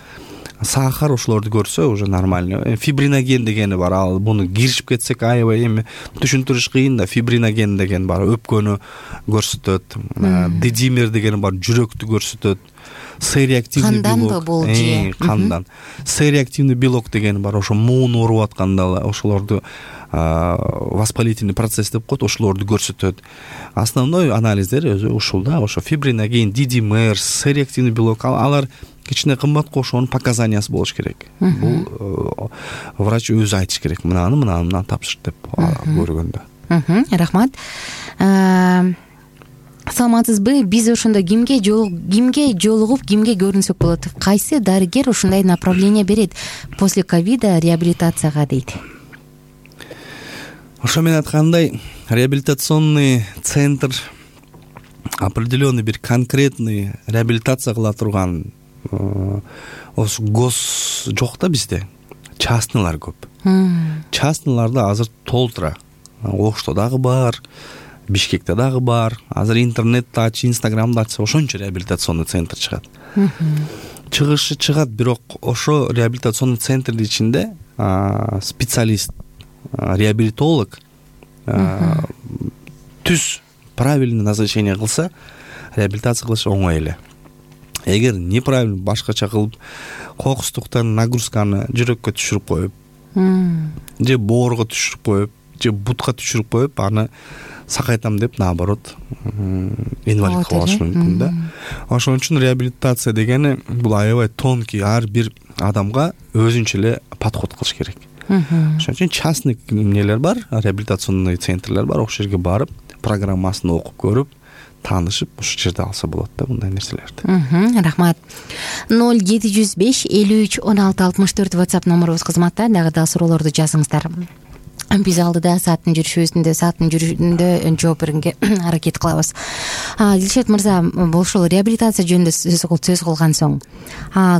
сахар ошолорду көрсө уже нормально. Фибриноген дегени бар. Ал буну киришип кетсек аябай эми түшүндүрүш кыйын да. Фибриноген деген бар, өпкөнү көрсөтөт. Дидимер деген бар, жүрөктү көрсөтөт. С-реактивный белок. Кандан. С-реактивный белок деген бар, ошо муун ооруп атканда ошолорду воспалительный процесс деп коет, ошолорду көрсөтөт. Основной анализдер өзү ушул да, ошо фибриноген, дидимер, С-реактивный белок, алар кичине кымбат го, ошонун показаниясы болуш керек. Бул врач өзү айтыш керек, мынаны тапшыр деп көргөндө. Рахмат. Саламатсызбы? Биз ошондо кимге жолугуп, кимге көрүнсөк болот? Кайсы дарыгер ушундай направление берет после ковида реабилитацияга дейт? Ошо мен айткандай, реабилитационный центр определенный бир конкретный реабилитация кыла турган гос жок да бизде. Частныйлар көп. Частныйларда азыр толтура. Ошто дагы бар, Бишкекте дагы бар. Азыр интернетти ач, Инстаграмды ачса ошончо реабилитационный центр чыгат. Чыгышы чыгат, бирок ошо реабилитационный центрдин ичинде специалист, реабилитолог түз правильный назначение кылса, реабилитация кылыш оңой эле. Эгер неправильно башкача кылып, кокустуктан нагрузканы жүрөккө түшүрүп коюп, же боорго түшүрүп коюп, же бутка түшүрүп коюп, аны сакайтам деп, наоборот, инвалид кылып алышы мүмкүн да. Ошон үчүн реабилитация дегени бул аябай тонкий, ар бир адамга өзүнчө эле подход кылыш керек. Ошон үчүн частный эмнелер бар, реабилитационный центрлер бар, ошол жерге барып, программасын окуп көрүп, таанышып, ошол жерде алса болот да мындай нерселерди. Рахмат. 0705 53 16 64 WhatsApp номерубуз кызматта. Дагы да суроолорду жазыңыздар. Биз алдыда сааттын жүрүшүндө жооп бергенге аракет кылабыз. Дилшат мырза, ошол реабилитация жөнүндө сөз кылган соң,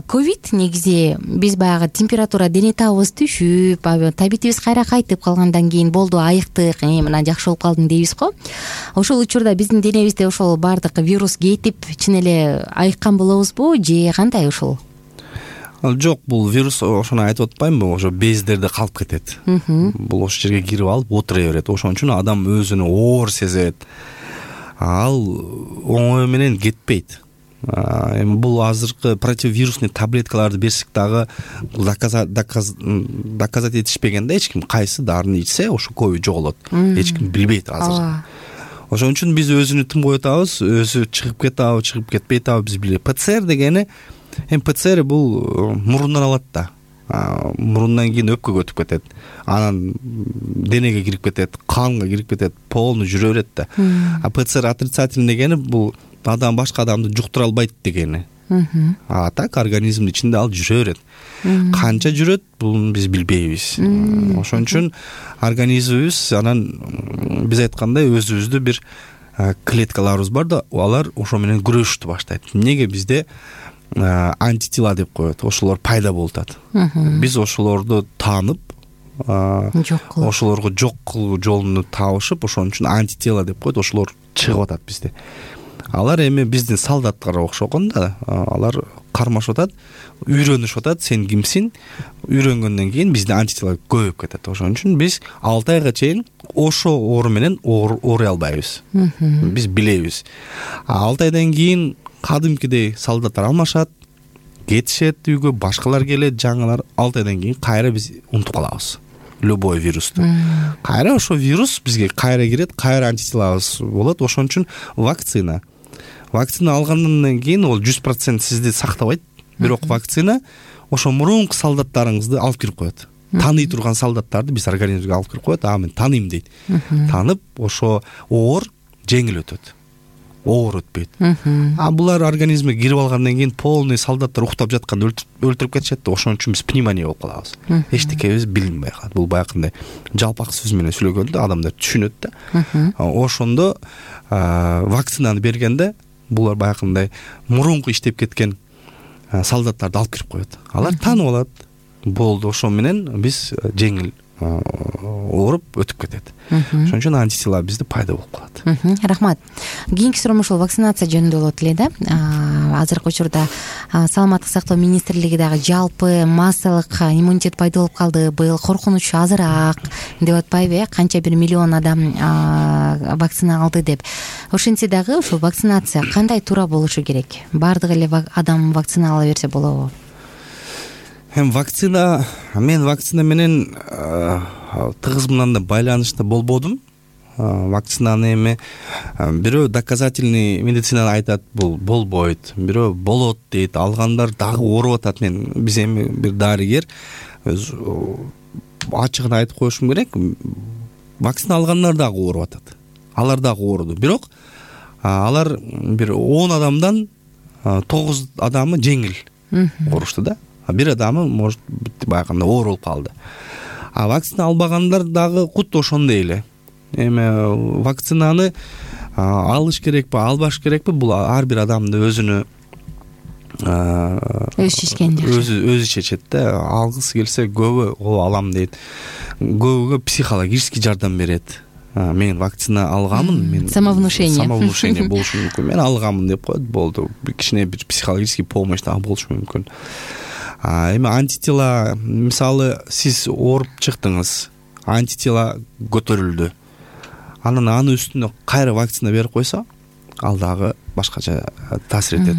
ковид негизи биз баягы температура, дене табыбыз түшүп, табитибиз кайра кайтып калгандан кийин болду, айыктык, мына жакшы болуп калдым дейбиз го. Ошол учурда биздин денебизде ошол баардык вирус кетип, чын эле айыккан болобузбу же кандай ошол? Жок, бул вирус, ошону айтып атпаймынбы, ошо бездерде калып кетет. Бул ошол жерге кирип алып отура берет. Ошон үчүн адам өзүнү оор сезет. Ал оңой менен кетпейт. Эми бул азыркы противовирусный таблеткаларды берсек дагы доказать этишпеген да, эч ким кайсы дарыны ичсе ошо ковид жоголот, эч ким билбейт азыр. Ошон үчүн биз өзүнү тым коюп атабыз, өзү чыгып кетабы, чыгып кетпей атабы биз билбейт. ПЦР дегени, ПЦР бул мурундан алат да. Мурундан кийин өпкөгө өтүп кетет, анан денеге кирип кетет, канга кирип кетет, полный жүрө берет да. ПЦР отрицательный дегени бул адам башка адамды жуктура албайт дегени. А так организмдин ичинде ал жүрө берет. Канча жүрөт, бул биз билбейбиз. Ошон үчүн организмибиз анан биз айткандай өзүбүздү бир клеткаларыбыз бар да, алар ошо менен күрөшүштү баштайт. Эмнеге бизде антитела деп коет, ошолор пайда болуп атат. Биз ошолорду таанып, ошолорго жок кылуу жолун табышып, ошон үчүн антитела деп коет, ошолор чыгып атат бизде. Алар эми биздин солдаттарга окшогон да, алар кармашып атат, үйрөнүшүп атат, сен кимсиң, үйрөнгөндөн кийин биздин антитела көбөйүп кетет. Ошон үчүн биз 6 айга чейин ошо оору менен ооруй албайбыз. Биз билебиз. 6 айдан кийин кадимкидей солдаттар алмашат, кетишет үйгө, башкалар келет, жаңылар. 6 айдан кийин кайра биз унутуп калабыз любой вирусту. Кайра ошо вирус бизге кайра кирет, кайра антителабыз болот. Ошон үчүн вакцина алгандан кийин ол 100% сизди сактабайт, бирок вакцина ошо мурунку солдаттарыңызды алып кирип коет. Тааный турган солдаттарды биз организмге алып кирип коет, мен тааныйм дейт. Таанып ошо оор жеңил өтөт. Оор өтпөйт. Булар организмге кирип алгандан кийин полный солдаттар уктап жатканда өлтүрүп кетишет да, ошон үчүн биз пневмония болуп калабыз. Эчтекебиз билинбей калат. Бул баягындай жалпак сөз менен сүйлөгөндө адамдар түшүнөт да. Ошондо вакцинаны бергенде булар баягындай мурунку иштеп кеткен солдаттарды алып кирип коет. Алар таанып алат. Болду, ошо менен биз жеңил ооруп өтүп кетет. Ошон үчүн антитела бизде пайда болуп калат. Рахмат. Кийинки суроом ушул вакцинация жөнүндө болот эле да. Азыркы учурда саламаттык сактоо министрлиги дагы жалпы массалык иммунитет пайда болуп калды, быйыл коркунуч азыраак деп атпайбы? Канча бир миллион адам вакцина алды деп. Ошентсе дагы ушул вакцинация кандай туура болушу керек? Бардык эле адам вакцина ала берсе болобу? Мен вакцина менен тыгыз мындай байланышта болбодум. Вакцинаны эми бирөө доказательный медицинаны айтат, бул болбойт, бирөө болот дейт, алгандар дагы ооруп атат. Биз эми бир дарыгер ачыгын айтып коюшум керек, вакцина алгандар дагы ооруп атат. Алар дагы ооруду, бирок алар бир 10 адамдан 9 адамы жеңил оорушту да. Бир адамы может баягында оор болуп калды. Вакцина албагандар дагы кут ошондой эле. Эми вакцинаны алыш керекпи, албаш керекпи, бул ар бир адамдын өзүнө өзү чечет да. Алгысы келсе көбү алам дейт. Көбүгө психологический жардам берет. Мен вакцина алганмын, мен самовнушение болушу мүмкүн. Мен алганмын деп коет, болду. Кичине бир психологический помощь дагы болушу мүмкүн. Эми антитела, мисалы сиз ооруп чыктыңыз, антитела көтөрүлдү. Анан анын үстүнө кайра вакцина берип койсо, ал дагы башкача таасир этет.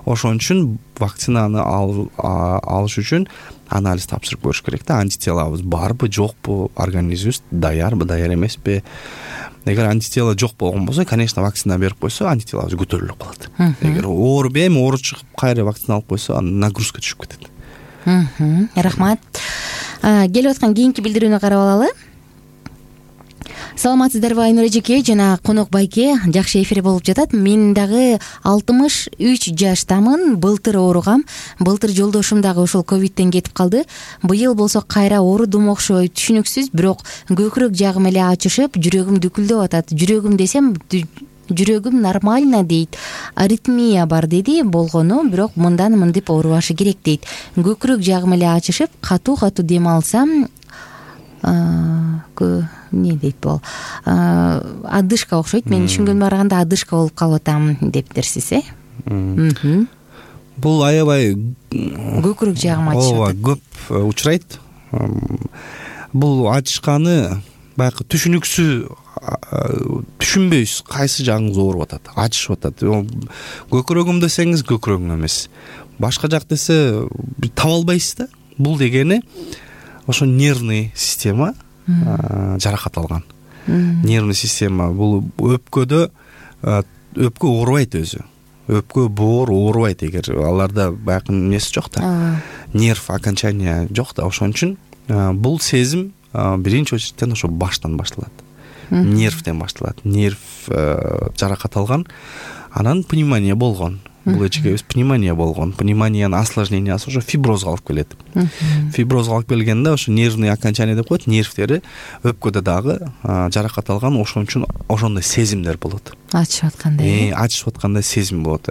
Ошон үчүн вакцинаны алыш үчүн анализ тапшырып көрүш керек да. Антителабыз барбы, жокпу, организмибиз даярбы, даяр эмеспи. Эгер антитела жок болгон болсо, конечно, вакцина берип койсо, антителабыз көтөрүлүп калат. Эгер ооруп чыгып кайра вакцина алып койсо, анын нагрузка түшүп кетет. Рахмат. Келип аткан кийинки билдирүүнү карап алалы. Саламатсыздарбы Айнур эжеке жана конок байке, жакшы эфир болуп жатат. Мен дагы 63 жаштамын, былтыр ооругам. Былтыр жолдошум дагы ушул ковидтен кетип калды. Быйыл болсо кайра оорудум окшойт, түшүнүксүз, бирок көкүрөк жагым эле ачышып, жүрөгүм дүкүлдөп атат. Жүрөгүм десем, жүрөгүм нормально дейт. Аритмия бар деди, болгону, бирок мындан мындип оорубашы керек дейт. Көкүрөк жагым эле ачышып, катуу дем алсам, эмне дейт бул? Адышка окшойт. Мен түшүнгөнүмө караганда адышка болуп калып атам дептирсиз, Бул аябай көкүрөк жагым ачышып атат. Көп учурайт. Бул ачышканы баягы түшүнбөйсүз кайсы жагыңыз ооруп атат, ачышып атат. Көкүрөгүм десеңиз көкүрөгүң эмес, башка жак десе таба албайсыз да. Бул дегени ошо нервный система жаракат алган. Нервный система бул өпкө оорубайт өзү. Өпкө, боор оорубайт эгер аларда баягы эмеси жок да. Нерв окончания жок да. Ошон үчүн бул сезим биринчи очереден ошо баштан башталат. Нервден башталат. Нерв жаракат алган, анан пневмония болгон. Бул эчегебиз пневмония болгон. Пневмониянын осложнениясы ошо фиброзго алып келет. Фиброзго алып келгенде ошо нервный окончание деп коет, нервтери өпкөдө дагы жаракат алган, ошон үчүн ошондой сезимдер болот. Ачышып аткандай. Ачышып аткандай сезим болот.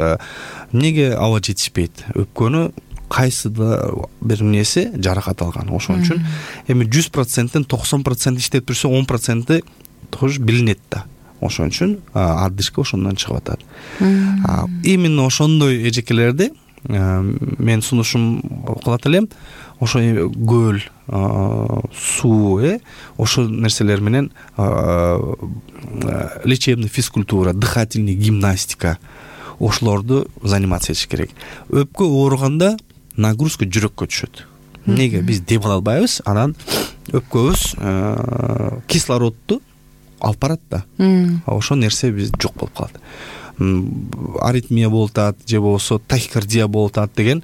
Эмнеге аба жетишпейт? Өпкөнү кайсыда бир нерсе жаракат алган. Ошон үчүн эми 100%тен 90% иштеп турса 10% тоже билинет да. Ошон үчүн отдышка ошондон чыгып атат. Именно ошондой эжекелерди мен сунушум кылат элем. Ошо көл, суу, ошо нерселер менен лечебный физкультура, дыхательный гимнастика ошолорду заниматься этиш керек. Өпкө ооруганда нагрузка жүрөккө түшөт. Эмнеге? Биз дем ала албайбыз, анан өпкөбүз кислородду алып барат да. Ошол нерсе биз жок болуп калат. Аритмия болуп атат, же болбосо тахикардия болуп атат деген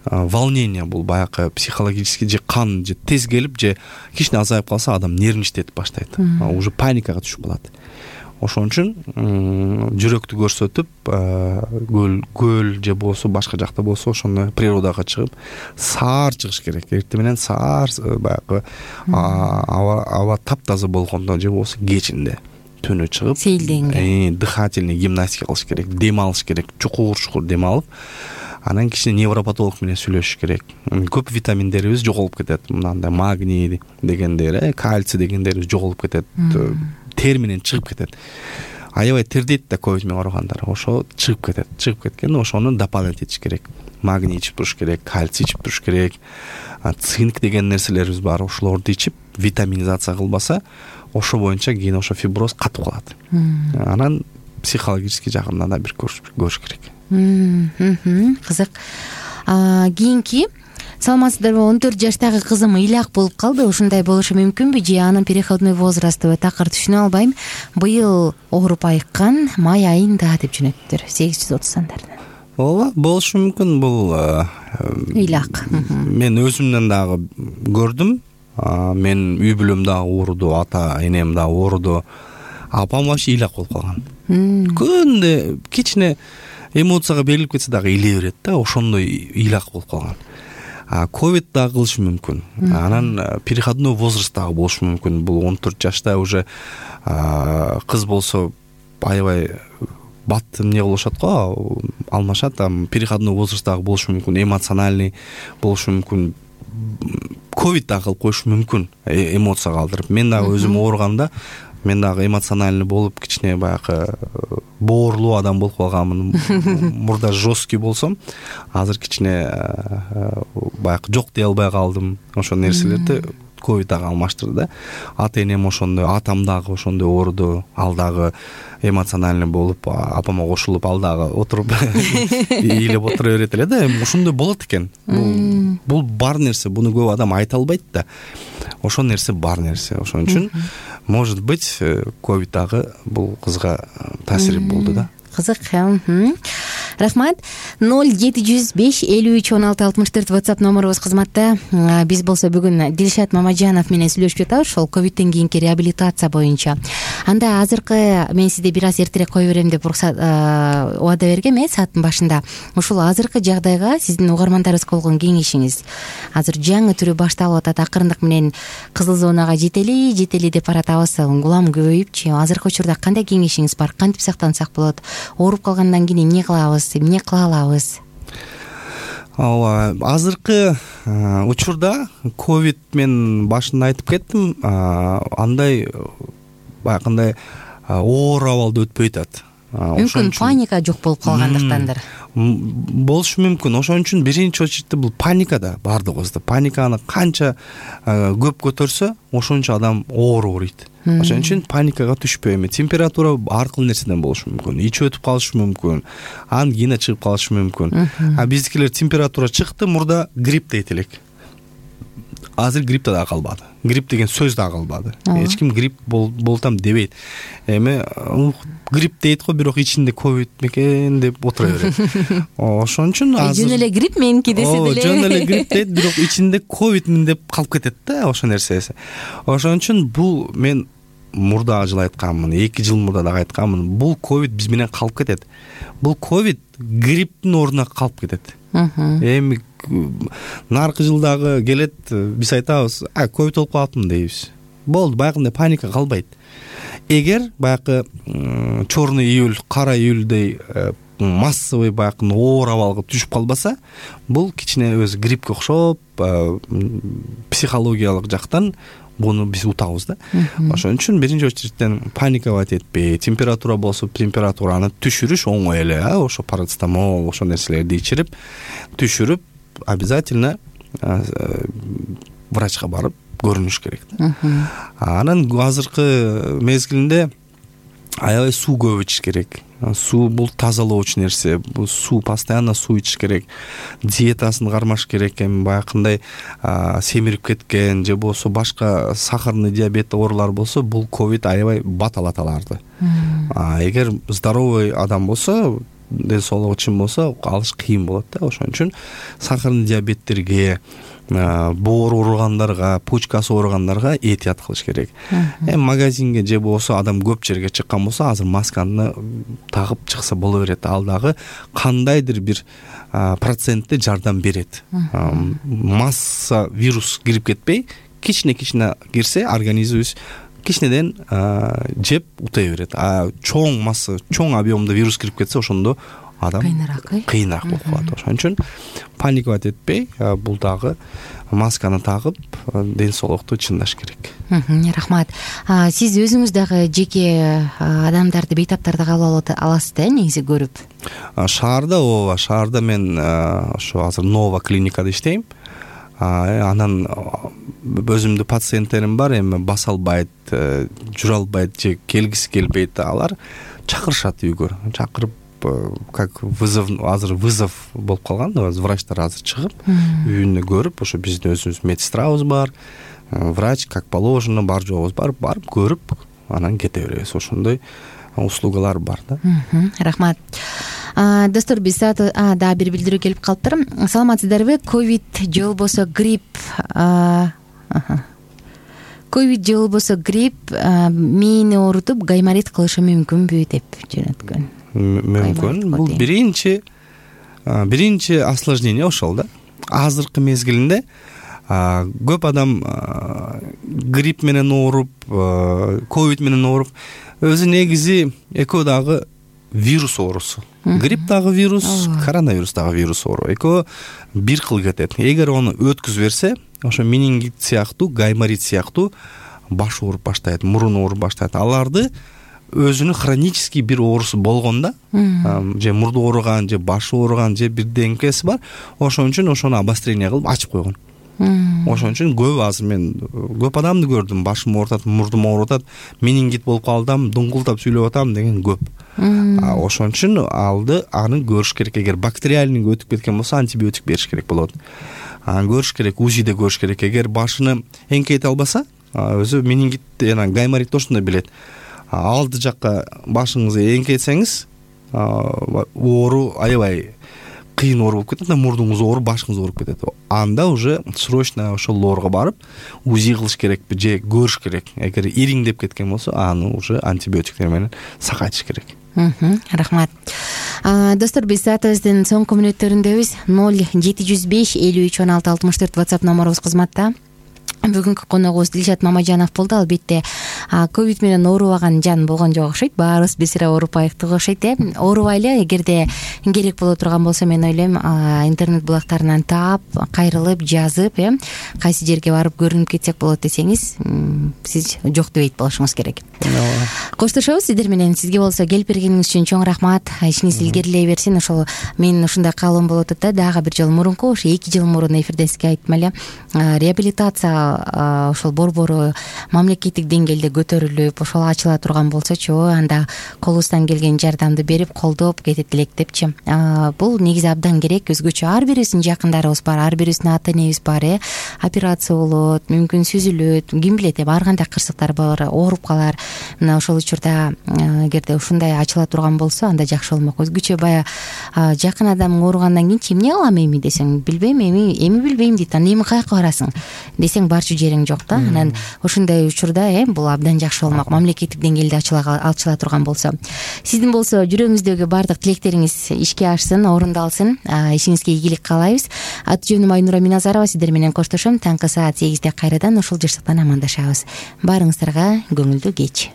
волнение, бул баягы психологический, же кан же тез келип, же кичине азайып калса адам нервничать баштайт. Уже паникага түшүп калат. Ошон үчүн жүрөктү көрсөтүп, көл же болсо башка жакта болсо ошону природага чыгып саар чыгыш керек. Эртең менен саар баягы аба таптаза болгондо же болсо кечинде түнү чыгып сейилденге, дыхательный гимнастика кылыш керек, дем алыш керек, чукур дем алып, анан кичине невропатолог менен сүйлөшүш керек. Көп витаминдерибиз жоголуп кетет. Мындай магний дегендер, кальций дегендерибиз жоголуп кетет. Тер менен чыгып кетет. Аябай тердейт да ковид менен ооругандар. Ошо чыгып кетет. Чыгып кеткенде ошону дополнять этиш керек. Магний ичип туруш керек, кальций ичип туруш керек. Цинк деген нерселерибиз бар. Ошолорду ичип витаминизация кылбаса, ошо боюнча кийин ошо фиброз катып калат. Анан психологический жагынан да бир көрүш керек. Кызык. Кийинки саламатсыздарбы, 14 жаштагы кызым ыйлак болуп калды. Ушундай болушу мүмкүнбү же анын переходной возрастыбы, такыр түшүнө албайм. Быйыл ооруп айыккан, май айында деп жөнөттүр. 830 сандарынан. Ооба, болушу мүмкүн. Бул ыйлак. Мен өзүмдөн дагы көрдүм. Мен үй бүлөм дагы ооруду, ата энем дагы ооруду. Апам вообще ыйлак болуп калган. Күндө кичине эмоцияга берилип кетсе дагы ыйлай берет да, ошондой ыйлак болуп калган. Ковид дагы кылышы мүмкүн. Анан переходной возраст дагы болушу мүмкүн. Бул 14 жашта уже кыз болсо аябай бат эмне кылышат го, алмашат. Переходной возраст дагы болушу мүмкүн, эмоциональный болушу мүмкүн. Ковид дагы кылып коюшу мүмкүн, эмоция калтырып. Мен дагы өзүм ооруганда мен дагы эмоциональный болуп, кичине баягы боорлуу адам болуп калганмын. Мурда жесткий болсом, азыр кичине баягы жок дей албай калдым. Ошол нерселерди ковид дагы алмаштырды да. Ата энем ошондой, атам дагы ошондой ооруду. Ал дагы эмоциональный болуп, апама кошулуп, ал дагы отуруп ыйлап отура берет эле да. Ошондой болот экен. Бул бар нерсе, буну көп адам айта албайт да. Ошол нерсе бар нерсе. Ошон үчүн может быть ковид дагы бул кызга таасир болду да. Кызык. Рахмат. 0705531664 WhatsApp номерубуз кызматта. Биз болсо бүгүн Дилшат Мамаджанов менен сүйлөшүп жатабыз ошол ковидтен кийинки реабилитация боюнча. Анда азыркы мен сизди бир аз эртерээк кое берем деп убада бергем сааттын башында. Ушул азыркы жагдайга сиздин угармандарыбызга болгон кеңешиңиз. Азыр жаңы түрү башталып атат, акырындык менен кызыл зонага жетели деп баратабыз. Улам көбөйүпчү. Азыркы учурда кандай кеңешиңиз бар? Кантип сактансак болот? Ооруп калгандан кийин эмне кылабыз, эмне кыла алабыз? Азыркы учурда ковид мен башында айтып кеттим, андай баягындай оор абалда өтпөй атат. мүмкүн паника жок болуп калгандыктандыр. Болушу мүмкүн. Ошон үчүн биринчи очередте бул паника да бардыгыбызда. Паниканы канча көп көтөрсө, ошончо адам оор ооруйт. Ошон үчүн паникага түшпөй. Температура ар кыл нерседен болушу мүмкүн. Ичи өтүп калышы мүмкүн. Ангина чыгып калышы мүмкүн. Биздикилер температура чыкты, мурда грипп дейт элек. Азыр грипп да калбады. Грипп деген сөз да калбады. Эч ким грипп болтам дебейт. Эми грипп дейт го, бирок ичинде ковид мекен деп отура берет. Ошон үчүн азыр жөн эле грипп меники десе деле. Жөн эле грипп дейт, бирок ичинде ковидмин деп калып кетет да ошо нерсеси. Ошон үчүн бул мен мурда жылы айтканмын, 2 жыл мурда дагы айтканмын. Бул ковид биз менен калып кетет. Бул ковид грипптин ордуна калып кетет. Эми наркы жылдагы келет, биз айтабыз, ковид болуп калыптым дейбиз. Болду, баягындай паника калбайт. Эгер баягы черный июль, кара июльдей массовый баягы оор абалга түшүп калбаса, бул кичине өзү гриппке окшоп, психологиялык жактан буну биз утабыз да. Ошон үчүн биринчи очередтен паниковать этпей, температура болсо температураны түшүрүш оңой эле, ошо парацетамол, ошо нерселерди ичирип, түшүрүп, обязательно врачка барып көрүнүш керек да. Анан азыркы мезгилинде аябай суу көп ичиш керек. Суу бул тазалоочу нерсе. Бул суу, постоянно суу ичиш керек. Диетасын кармаш керек. Эми баягындай семирип кеткен же болсо башка сахарный диабет оорулар болсо, бул ковид аябай баталат аларды. Эгер здоровый адам болсо, ден соолугу чын болсо, алыш кыйын болот да. Ошон үчүн сахарный диабеттерге, боор ооругандарга, почкасы ооругандарга этият кылыш керек. Магазинге же болсо адам көп жерге чыккан болсо, азыр масканы тагып чыкса боло берет. Ал дагы кандайдыр бир процентте жардам берет. Масса вирус кирип кетпей, кичине кирсе, организмибиз кичинеден жеп утай берет. Чоң масса, чоң объемда вирус кирип кетсе, ошондо адам кыйыныраак болуп калат. Ошон үчүн паниковать этпей, бул дагы масканы тагып, ден соолукту чындаш керек. Рахмат. Сиз өзүңүз дагы жеке адамдарды, бейтаптарды кабыл аласыз да, негизи көрүп? Шаарда мен ошо азыр Нова клиникада иштейм. Анан өзүмдүн пациенттерим бар, эми баса албайт, жүрө албайт же келгиси келбейт. Алар чакырышат үйгө. Чакырып, как вызов, азыр вызов болуп калган, врачтар азыр чыгып, үйүнө көрүп, ошо биздин өзүбүз медсестрабыз бар, врач как положено бар жообуз бар, барып көрүп, анан кете беребиз. Ошондой услугалар бар да. Рахмат. Достор, биз да бир билдирүү келип калыптыр. Саламатсыздарбы? Ковид же болбосо грипп, ковид же болбосо грипп мээни оорутуп гайморит кылышы мүмкүнбү деп жөнөткөн. Мүмкүн. Бул биринчи осложнение ошол да. Азыркы мезгилинде көп адам грипп менен ооруп, ковид менен ооруп, өзү негизи экөө дагы вирус оорусу. Грипп дагы вирус, коронавирус дагы вирус оору. Экөө бир кыл кетет. Эгер аны өткүзүп берсе, ошо менингит сыяктуу, гайморит сыяктуу баш ооруп баштайт, мурун ооруп баштайт. Аларды өзүнүн хронический бир оорусу болгондо, же мурду ооруган, же башы ооруган, же бирдеңкеси бар, ошон үчүн ошону обострение кылып ачып койгон. Ошон үчүн азыр мен көп адамды көрдүм, башым оорутат, мурдум оорутат, менингит болуп калдым, дуңгултап сүйлөп атам деген көп. Ошон үчүн аны көрүш керек. Эгер бактериальный өтүп кеткен болсо, антибиотик бериш керек болот. Көрүш керек, УЗИде көрүш керек. Эгер башыны эңкейте албаса, өзү менингит, гайморит ошондой билет. Алды жакка башыңызды эңкейтсеңиз, оору аябай кыйын ооруп кетет, мурдуңуз ооруп, башыңыз ооруп кетет. Анда уже срочно ошол лоорго барып, УЗИ кылыш керекпи же көрүш керек. Эгер ириңдеп кеткен болсо, аны уже антибиотиктер менен сакайтыш керек. Рахмат. Достор, биз саатыбыздын соңку мүнөттөрүндөбүз. 0705-53-16-64 WhatsApp номерубуз кызматта. Бүгүнкү коногубуз Дилшат Мамажанов болду. Албетте ковид менен оорубаган жан болгон жок окшойт, баарыбыз бир сыйра оорубайбыз окшойт оорубайлы. Эгерде керек боло турган болсо мен ойлойм интернет булактарынан таап, кайрылып, жазып кайсы жерге барып көрүнүп кетсек болот десеңиз, сиз жок дебейт болушуңуз керек. Коштошобуз сиздер менен. Сизге болсо келип бергениңиз үчүн чоң рахмат. Ишиңиз илгерилей берсин. Ошол мен ушундай каалоом болуп атат да, дагы бир жол мурунку, ошо 2 жыл мурун эфирде сизге айттым эле, реабилитация ошол борбору мамлекеттик деңгээлде көтөрүлүп, ошол ачыла турган болсочу, анда колубуздан келген жардамды берип, колдоп кетет элек депчи. Бул негизи абдан керек. Өзгөчө ар бирибиздин жакындарыбыз бар, ар бирибиздин ата энебиз бар, операция болот, мүмкүн сүзүлөт, ким билет, ар кандай кырсыктар бар, ооруп калар. Мына ошол учурда эгерде ушундай ачыла турган болсо, анда жакшы болмок. Өзгөчө баягы жакын адамың ооругандан кийин эмне кылам эми десең, билбейм, эми билбейм дейт. Анда эми каяка барасың десең, барчу жериң жок да. Анан ошондой учурда бул абдан жакшы болмок, мамлекеттик деңгээлде ачыла турган болсо. Сиздин болсо жүрөгүңүздөгү баардык тилектериңиз ишке ашсын, орундалсын. Ишиңизге ийгилик каалайбыз. Аты жөнүм Айнура Миназарова. Сиздер менен коштошом. Таңкы саат 8-де кайрадан ушул жыштыктан амандашабыз. Баарыңыздарга көңүлдүү кеч.